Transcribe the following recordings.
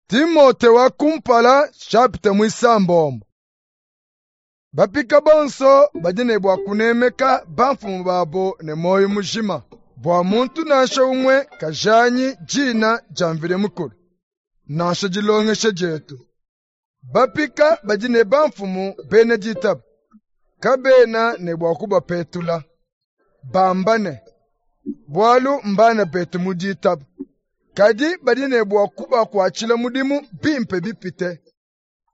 Timote wa kumpala chapitre muisambombo. Bapika bonso badi ne bua kunemeka bamfumu babo ne muoyo mujima, bua muntu nansha umue kajanyi dina dia Mvidi Mukulu, nansha dilongesha dietu. Bapika badi ne bamfumu bena ditaba, kabena ne bua kubapetula, bamba ne, bualu mbana betu mu ditaba. Kadi badi ne bua kubakuatshila mudimu bimpe bipite,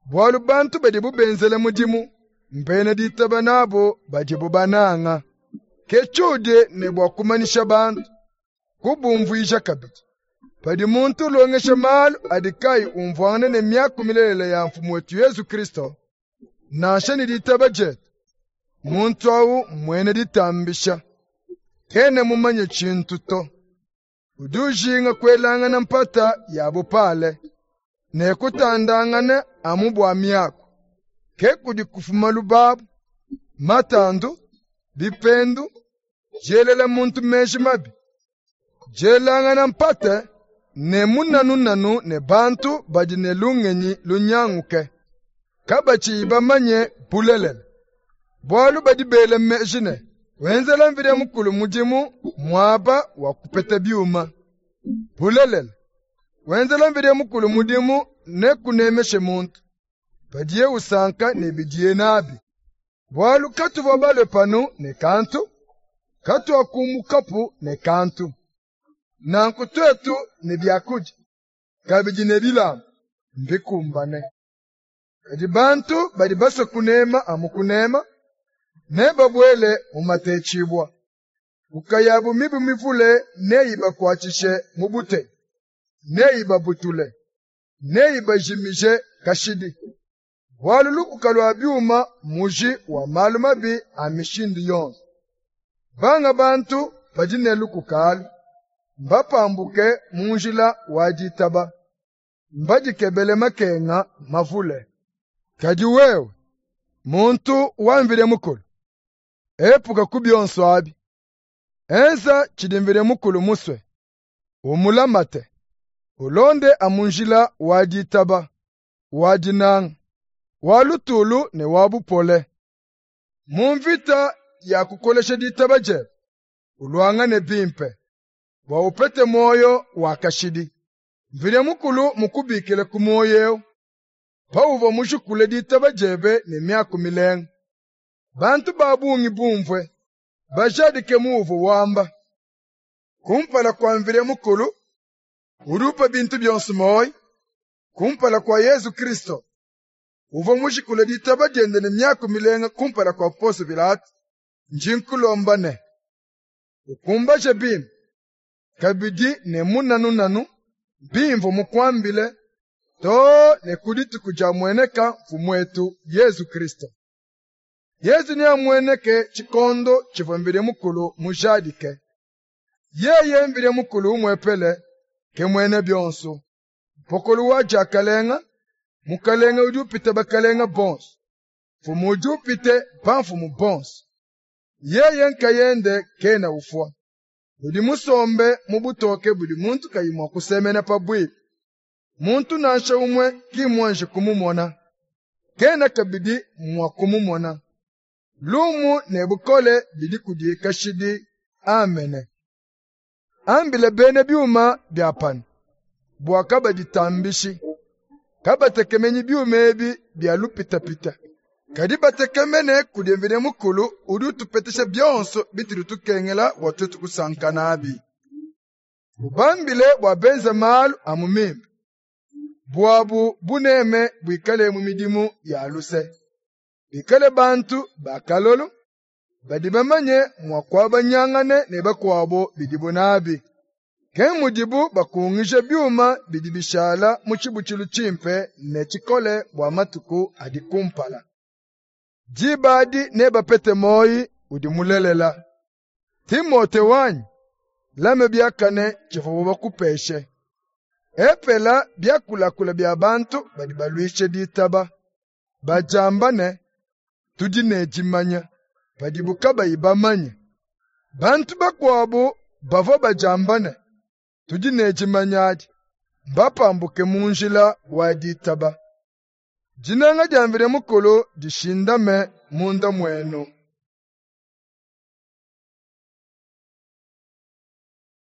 bualu bantu badibu benzela mudimu mbena ditaba nabo badibu bananga. Ke tshiudi ne bua kumanyisha bantu, kubumvuija kabidi. Padi muntu ulongesha malu adi kayi umvuangana ne miaku milelela ya Mfumu wetu Yezu Kristo, nansha ne ditaba dietu, muntu awu mmuena ditambisha, kena mumanye tshintu to. Udi ujinga kuelangana mpata ya bupale ne kutandangana amu bua miaku. Ke kudi kufuma lubabu, matandu, bipendu, dielela muntu meji mabi, dielangana mpata ne munanunanu ne bantu badi ne lungenyi lunyanguke, kabatshiyi bamanye bulelela. Bualu badi bela meji ne, wenzela Mvidi Mukulu mudimu muaba wa kupeta biuma. Bulelela, wenzela Mvidi Mukulu mudimu ne kunemeshe muntu, padiye usanka ne bidiye nabi. Bualu katuvua balue panu ne kantu, katuakumukapu ne kantu. Nanku tuetu ne biakudia, kabidi ne bilamba, mbikumbane. Kadi bantu badi basue kunema amu kunema, nebabuele mu matetshibua. Nkuka yabu mibi mivule neyibakuatshishe mu buteyi, neyibabutule, neyibajimije kashidi. Bualu lukuka lua biuma mmuji wa malu mabi a mishindu yonso. Banga bantu badi ne lukuka alu, mbapambuke mu njila wa ditaba, mbadikebele makenga mavule. Kadi wewe, muntu wa Mvidi Mukulu, epuka ku bionso abi. Enza tshidi Mvidi Mukulu musue, umulamate, ulonde amu njila wa ditaba, wa dinanga, wa lutulu ne wa bupole. Mu mvita ya kukolesha ditaba diebe, uluangane bimpe, bua upete muoyo wa kashidi. Mvidi Mukulu mukubikile ku muoyo ewu, pauvua mujukule ditaba diebe ne miaku milenga. Bantu ba bungi bumvue, bajadike muuvua wamba. Kumpala kua Mvidi Mukulu, udi upa bintu bionso muoyo, kumpala kua Yezu Kristo, uvua mujikule ditaba diende ne miaku milenga kumpala kua Ponso Pilato, ndi nkulomba ne, ukumbaje bimpe, kabidi ne munanunanu bimvua mukuambile, too ne ku dituku diamueneka Mfumuetu Yezu Kristo. Yezu neamueneke tshikondo tshivua Mvidi Mukulu mujadike. Yeye Mvidi Mukulu umuepele ke muena bionso, mpokolo wa diakalenga, mukalenga udi upita bakalenga bonso, mfumu udi upite bamfumu bonso. Yeye nkayende kena ufua, udi musombe mu butoke budi muntu kayi mua kusemena pabuipi. Muntu nansha umue ki mmuanji kumumona, kena kabidi mua kumumona. Lumu ne bukole bidi kudi kashidi. Amene. Ambile bena biuma bia panu, bua kabaditambishi, kabatekemenyi biuma ebi bia lupitapita, kadi batekemene kudi Mvidi Mukulu udi utupetesha bionso bitudi tukengela bua tuetu kusanka nabi. Ubambile bua benze malu amu mimpe, buabu buneme buikale mu midimu ya luse. Bikale bantu ba kalolo, badi bamanye mua kuabanyangana ne bakuabo bidibu nabi. Ke mudibu bakungija biuma bidi bishala mu tshibutshilu tshimpe ne tshikole bua matuku adi kumpala. Diba adi nebapete muoyo udi mulelela. Timote wanyi, lame biakane tshivuabu bakupeshe. Epela biakulakula bia bantu badi baluisha ditaba, badiamba ne, tudi ne dimanya, padibu kabayi bamanye. Bantu bakuabu bavua badiamba ne, tudi ne dimanya adi, mbapambuke mu njila wa ditaba. Dinanga dia Mvidi Mukulu dishindame munda muenu.